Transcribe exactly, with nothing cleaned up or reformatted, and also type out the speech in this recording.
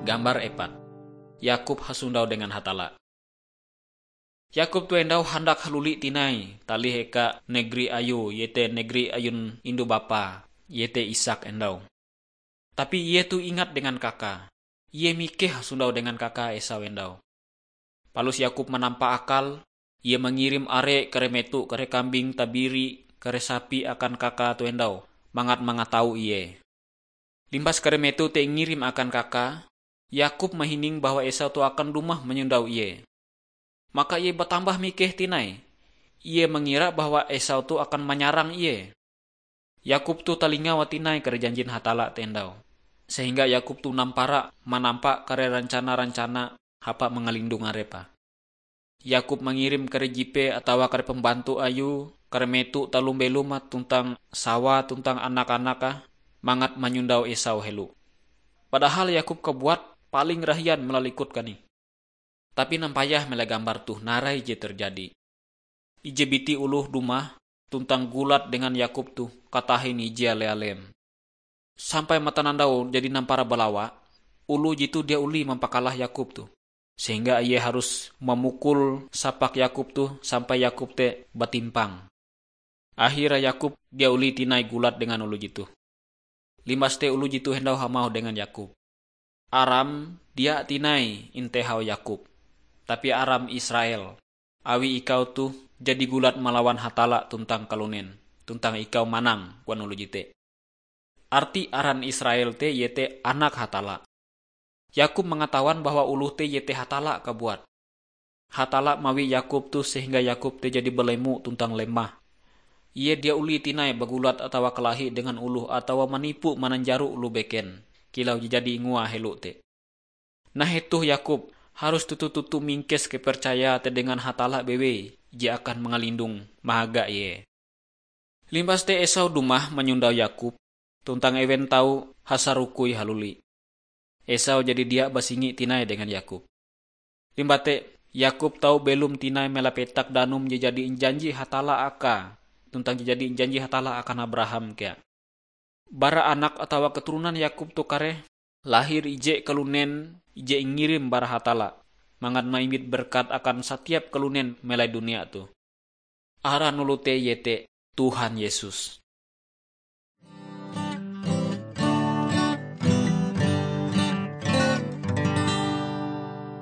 Gambar epat. Yakub hasondau dengan Hatalla. Yakub toh endau handak haluli tinai talih eka negeri ayue, iete negeri ayun indu bapae, iete Ishak endau. Tapi ie toh ingat dengan kakae. Ie mikeh hasondau dengan kakae Esau endau. Palus Yakub manampa akal, ie mangirim are kare meto, kare kambing tabiri, kare sapi akan kakae toh endau, mangat mangatau ie. Limbas kare meto te ingirim akan kakae, Yakub mahining bahwa Esau toh akan dumah manyondau ie. Maka ie batambah mikeh tinai. Ie mangira bahwa Esau toh akan manyarang ie. Yakub toh talingawa tinai kare janjin Hatalla te endau, sehingga Yakub toh nampara manampa kare rancana-rancana hapan mangalindong arepe. Yakub mangirim kare jipe atawa kare pambantu ayue, kare meto taloh belome tuntang sawae tuntang anak-anake, mangat manyondau Esau helo. Padahal Yakub kabuat paling rahian malalikut kanih. Tapi nampayah melai gambar toh narai je terjadi. Ije biti oloh dumah tuntang gulat dengan Yakub toh katahin ije ale-alem. Sampai matanandau jadi nampara balawa, oloh jetoh dia olih mampakalah Yakub toh, sehingga ie harus mamukul sapak Yakub toh sampai Yakub te batimpang. Ahira Yakub dia olih tinai gulat dengan oloh jetoh. Limbas te oloh jetoh endau hamauh dengan Yakub, "Aram dia tinai intehau Yakub, tapi aram Israel, awi ikau toh jadi gulat malawan Hatalla tuntang kalunen, tuntang ikau manang," koan oloh jete. Arti aran Israel te iete Anak Hatalla. Yakub mangatawan bahwa oloh te iete Hatalla kabuat. Hatalla mawi Yakub toh sehingga Yakub te jadi balemo tuntang lemah. Ie dia olih tinai bagulat atawa kalahi dengan oloh atawa manipu mananjaro oloh beken, kilau je jadi ingoa helo te. Nah, hetoh Yakub harus toto-toto mingkes kepercayae te dengan Hatalla bewei je akan mangalindong mahaga ie. Limbas te Esau dumah manyondau Yakub, tuntang ewen tau hasarokoi haluli. Esau jadi dia basingi tinai dengan Yakub. Limbah te, Yakub tau belom tinai melapetak danum je jadi injanji Hatalla akae, tuntang je jadi injanji Hatalla akan Abraham kea. Bara anak atawa keturunan Yakub toh kareh lahir ije kalunen ije ingirim bara Hatalla, mangat maimbit berkat akan satiap kalunen melai dunia toh. Aran oloh te iete Tuhan Yesus.